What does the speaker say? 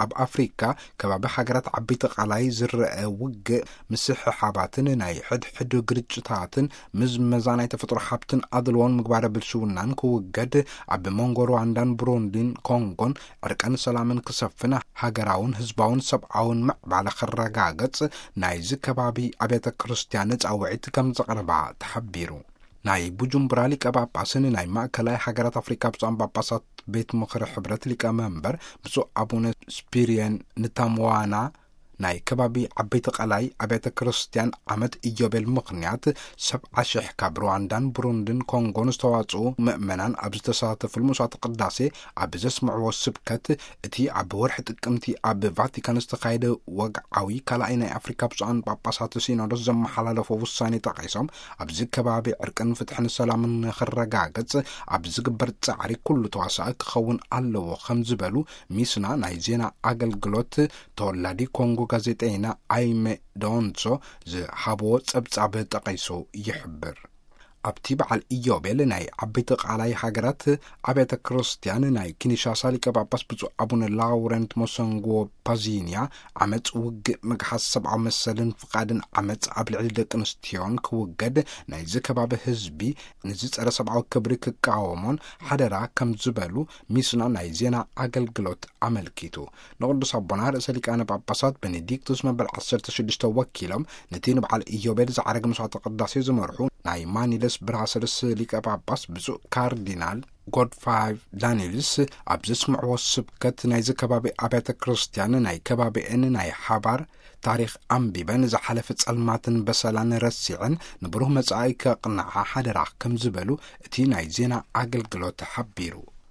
ኣብ ኣፍሪካ ከባቢ ሃገራት ዓበይቲ ቃላይ ዝረአ ውግእ፣ ምስሕሓባትን ናይ ሕድሕድ ግርጭታትን፣ ምዝመዛ ናይ ተፈጥሮ ሃብትን ኣድልዎን ምግባረ ብልሽውናን ክውገድ፣ ኣብ መንጎ ሩዋንዳን ብሩንዲን ኮንጎን ዕርቀን ሰላምን ክሰፍን፣ ሃገራውን ህዝባውን ሰብኣውን ምዕባለ ክረጋገጽ፣ ናይዚ ከባቢ ኣብያተ ክርስትያን ጻውዒት ከም ዘቕርባ ተሓቢሩ። ናይ ቡጁምቡራ ሊቀ ጳጳስን ናይ ማእከላይ ሃገራት ኣፍሪካ ብፁዓን ጳጳሳት ቤት ምኽሪ ሕብረት ሊቀ መንበር ብፁዕ ኣቡነ ስፒሪየን ንታምዋና፣ ናይ ከባቢ ዓበይቲ ቃላይ ኣብያተ ክርስትያን ዓመት ኢዮቤል ምኽንያት ሰብዓ ሽሕ ካብ ሩዋንዳን ብሩንድን ኮንጎን ዝተዋጽኡ ምእመናን ኣብ ዝተሳተፉሉ መስዋዕተ ቅዳሴ ኣብ ዘስምዕዎ ስብከት፣ እቲ ኣብ ወርሒ ጥቅምቲ ኣብ ቫቲካን ዝተኻየደ ወግዓዊ ካልኣይ ናይ ኣፍሪካ ብፁዓን ጳጳሳት ሲኖዶስ ዘመሓላለፎ ውሳኔ ጠቒሶም፣ ኣብዚ ከባቢ ዕርቅን ፍትሕን ሰላምን ንኽረጋገጽ ኣብ ዝግበር ጻዕሪ ኩሉ ተዋሳኢ ክኸውን ኣለዎ ከም ዝበሉ ሚስና ናይ ዜና ኣገልግሎት ተወላዲ ኮንጎ ጋዜጠይና ኣይመ ዶንሶ ዝሃብዎ ጸብጻብ ጠቒሱ ይሕብር። ኣብቲ በዓል ኢዮቤል ናይ ዓበይቲ ቃላይ ሃገራት ኣብያተ ክርስትያን ናይ ኪንሻሳ ሊቀ ጳጳስ ብፁዕ ኣቡነ ላውረንት ሞሰንጎ ፓዚንያ፣ ዓመፅ፣ ውግእ፣ ምግሓስ ሰብኣዊ መሰልን ፍቓድን ዓመፅ ኣብ ልዕሊ ደቂ ኣንስትዮን ክውገድ፣ ናይዚ ከባቢ ህዝቢ ንዚ ጸረ ሰብኣዊ ክብሪ ክቃወሞን ሓደራ ከም ዝበሉ ሚስና ናይ ዜና ኣገልግሎት ኣመልኪቱ። ንቅዱስ ኣቦና ርእሰ ሊቃነ ጳጳሳት ቤኔዲክቱስ መበል ዓሰርተ ሽዱሽተ ወኪሎም፣ ነቲ ንበዓል ኢዮቤል ዝዓረገ መስዋዕተ ቅዳሴ ዝመርሑ ናይ ማኒለስ ብራሰልስ ሊቀ ጳጳስ ብፁዕ ካርዲናል ጎድፋይቭ ዳኒልስ ኣብ ዘስምዕዎ ስብከት፣ ናይዚ ከባቢ ኣብያተ ክርስትያን ናይ ከባቢአን ናይ ሓባር ታሪኽ ኣንቢበን፣ ዝሓለፈ ጸልማትን በሰላን ረሲዐን ንብሩህ መጻኢ ከቕንዓ ሓደራ ከም ዝበሉ እቲ ናይ ዜና ኣገልግሎት ሓቢሩ።